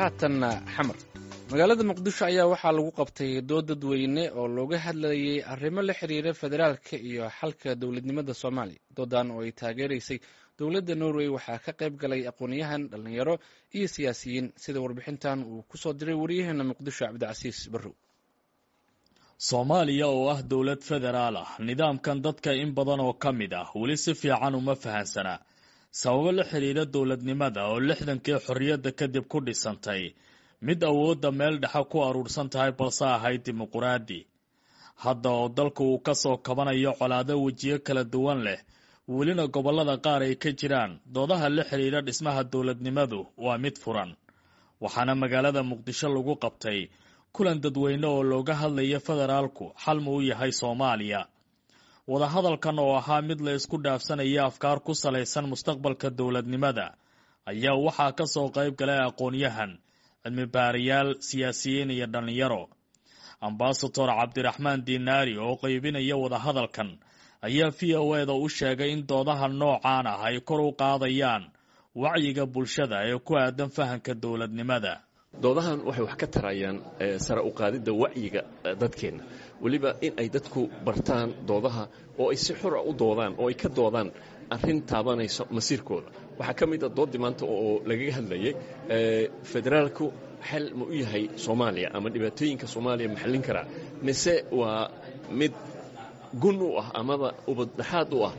Haatanna Xamar, magaalada Muqdisho ayaa waxaa lagu qabtay dood dadweyne oo looga hadlayay arrimo la xiriira federaalka iyo xalka dowladnimada Soomaaliya. Doodan oo ay taageeraysay dowladda Norway waxaa ka qayb galay aqoon-yahan, dhalinyaro iyo siyaasiyiin, sida warbixintan uu kusoo diray wariyaheena Muqdisho, Cabdicasiis Barrow. Soomaaliya oo ah dowlad federaal ah, nidaamkan dadka in badan oo ka mid ah weli si fiican uma fahansana, sababo la xiriira dowladnimada oo 60kii xorriyadda kadib ku dhisantay mid awoodda meel dhexe ku aruursan tahay, balse ahayd dimuquraadi. Hadda oo dalku uu ka soo kabanayo colaado wejiyo kala duwan leh, welina gobollada qaar ay ka jiraan doodaha la xiriira dhismaha dowladnimadu, waa mid furan. Waxaana magaalada Muqdisho lagu qabtay kulan dadweyne oo looga hadlaya federaalku xal ma u yahay Soomaaliya. Wadahadalkan oo ahaa mid la isku dhaafsanaya afkaar ku salaysan mustaqbalka dowladnimada ayaa waxaa ka soo qayb galay aqoon-yahan, cilmi baarayaal, siyaasiyiin iyo dhallinyaro. Ambasador Cabdiraxmaan Diinaari oo qaybinaya wadahadalkan ayaa VOA-da u sheegay in doodaha noocaan ah ay kor u qaadayaan wacyiga bulshada ee ku aadan fahanka dowladnimada. Doodahan waxay wax ka tarayaan sare u qaadidda wacyiga dadkeenna, weliba in ay dadku bartaan doodaha oo ay si xura u doodaan oo ay ka doodaan arrin taabanayso masiirkooda. Waxaa ka mid a dooddii maanta oo lagaga hadlayay federaalku xal ma u yahay Soomaaliya ama dhibaatooyinka Soomaaliya ma xallin karaa, mise waa mid gun u ah amaba ubaddhaxaad u ah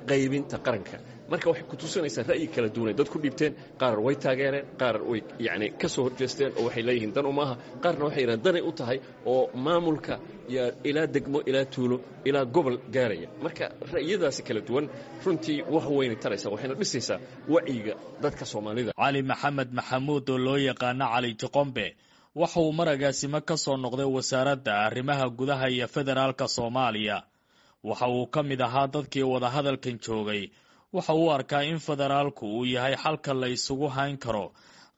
qaybinta qaranka. Marka waxay ku tusinaysaa ra'yi kala duwanay dad ku dhiibteen. Qaar way taageereen, qaar way yacni ka soo horjeesteen oo waxay leeyihiin dan umaaha, qaarna waxay yidhahan danay u tahay oo maamulka yaa ilaa degmo, ilaa tuulo, ilaa gobol gaaraya. Marka ra'yadaasi kala duwan runtii wax weynay taraysaa, waxayna dhisaysaa wacyiga dadka Soomaalida. Cali Maxamed Maxamuud oo loo yaqaano Cali Joqombe waxa uu maragaasimo ka soo noqday Wasaaradda Arrimaha Gudaha iyo Federaalka Soomaaliya. Waxa uu ka mid ahaa dadkii wadahadalkan joogay. Waxa uu arkaa in federaalku uu yahay xalka la isugu hayn karo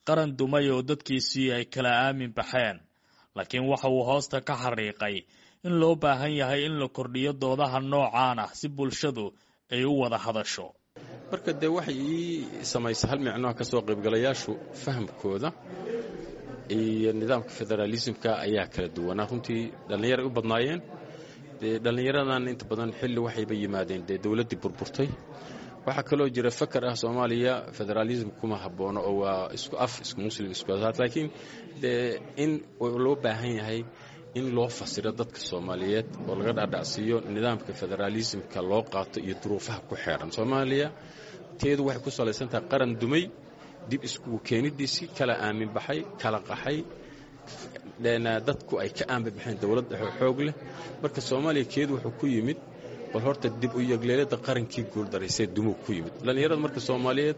qaran dumay oo dadkiisii ay kala aamin baxeen, laakiin waxa uu hoosta ka xariiqay in loo baahan yahay in la kordhiyo doodaha noocaan ah si bulshadu ay u wada hadasho. Marka dee waxay ii samaysa hal micnoha, ka soo qaybgalayaashu fahamkooda iyo nidaamka federaalismka ayaa kala duwanaa. Runtii dhallinyaray u badnaayeen. Dee dhallinyaradan inta badan xilli waxayba yimaadeen dee dowladdii burburtay. Waxaa kaloo jira fakar ah Soomaaliya federaalism kuma habboono oo waa isku af, isku muslim, isku asaad, laakiin dee in loo baahan yahay in loo fasiro dadka Soomaaliyeed oo laga dhaadhacsiiyo nidaamka federaalismka loo qaato iyo duruufaha ku xeeran Soomaaliya. Teedu waxay ku salaysan tahay qaran dumay, dib iskugu keenidiisii, kala aamin baxay, kala qaxay, dadku ay ka aamin baxeen dowlad dhexe xoog leh. Marka Soomaaliya keedu wuxuu ku yimid bal horta dib u yegleelada qarankii guuldaraysee dumuu ku yimid. Dhallinyarada marka Soomaaliyeed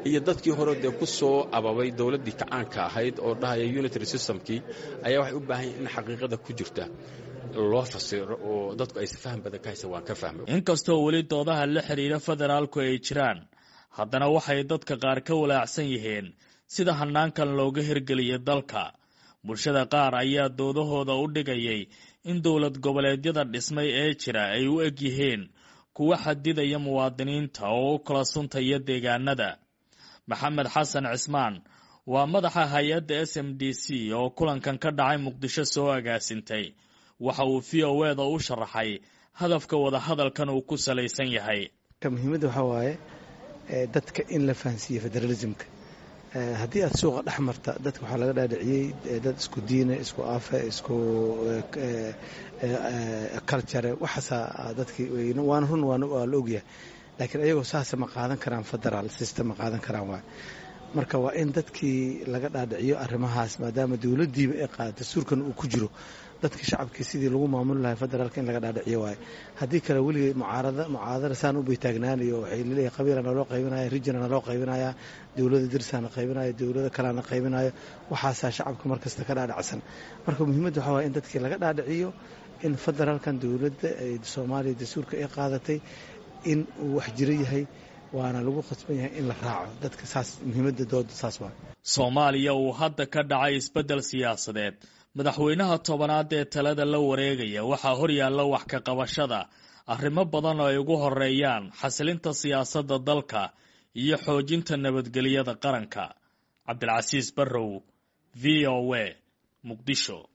iyo dadkii hore dee ku soo ababay dowladdii kacaanka ahayd oo dhahaya unitary systemkii ayaa waxay u baahan yahin in xaqiiqada ku jirta loo fasiro oo dadku aysa faham badan ka haysa. Waan ka fahmay. Inkastoo weli doodaha la xiriira federaalku ay jiraan, haddana waxay dadka qaar ka walaacsan yihiin sida hanaankan looga hirgeliyo dalka. Bulshada qaar ayaa doodahooda u dhigayay in dowlad goboleedyada dhismay ee jira ay u eg yihiin kuwa xadidaya muwaadiniinta oo u kala suntaya deegaanada. Maxamed Xasan Cismaan waa madaxa hay-adda SMDC oo kulankan ka dhacay Muqdisho soo agaasintay. Waxa uu VOA-da u sharaxay hadafka wadahadalkan uu ku salaysan yahay. Muhiimadda waxaa waaye dadka in la fahansiiye federalismka. Haddii aad suuqa dhex marta, dadka waxaa laga dhaadhiciyey dad isku diine, isku afe, isku culture, waxaasaa dadkii waana run, waa la ogyahay, laakiin ayagoo saasa ma qaadan karaan federal system, ma qaadan karaan waay. Marka waa in dadkii laga dhaadhiciyo arrimahaas, maadaama dowladdiiba ay qaada, dastuurkan uu ku jiro, dadka shacabkii sidii lagu maamuli lahay federaalka in laga dhaadhiciyo waaye. Haddii kale weligay mucaarada mucaadara saan u bay taagnaanayo. Waxay laleeyahay qabiila naloo qaybinaya, rijina naloo qaybinaya, dowladda dirsaana qaybinaya, dowlada kalena qaybinayo. Waxaasaa shacabka markasta ka dhaadhacsan. Marka muhiimadda waxaa waye in dadkii laga dhaadhiciyo in federaalkan dowladda Soomaaliya dastuurka ay qaadatay in uu wax jiro yahay, waana lagu khasban yahay in la raaco dadka. Saas muhiimadda dooda saas waa. Soomaaliya uu hadda ka dhacay isbeddel siyaasadeed, madaxweynaha 10aad ee talada la wareegaya, waxaa horyaalla wax ka qabashada arrimo badan oo ay ugu horeeyaan xasilinta siyaasadda dalka iyo xoojinta nabadgelyada qaranka. Cabdilcasiis Barrow, V O A, Muqdisho.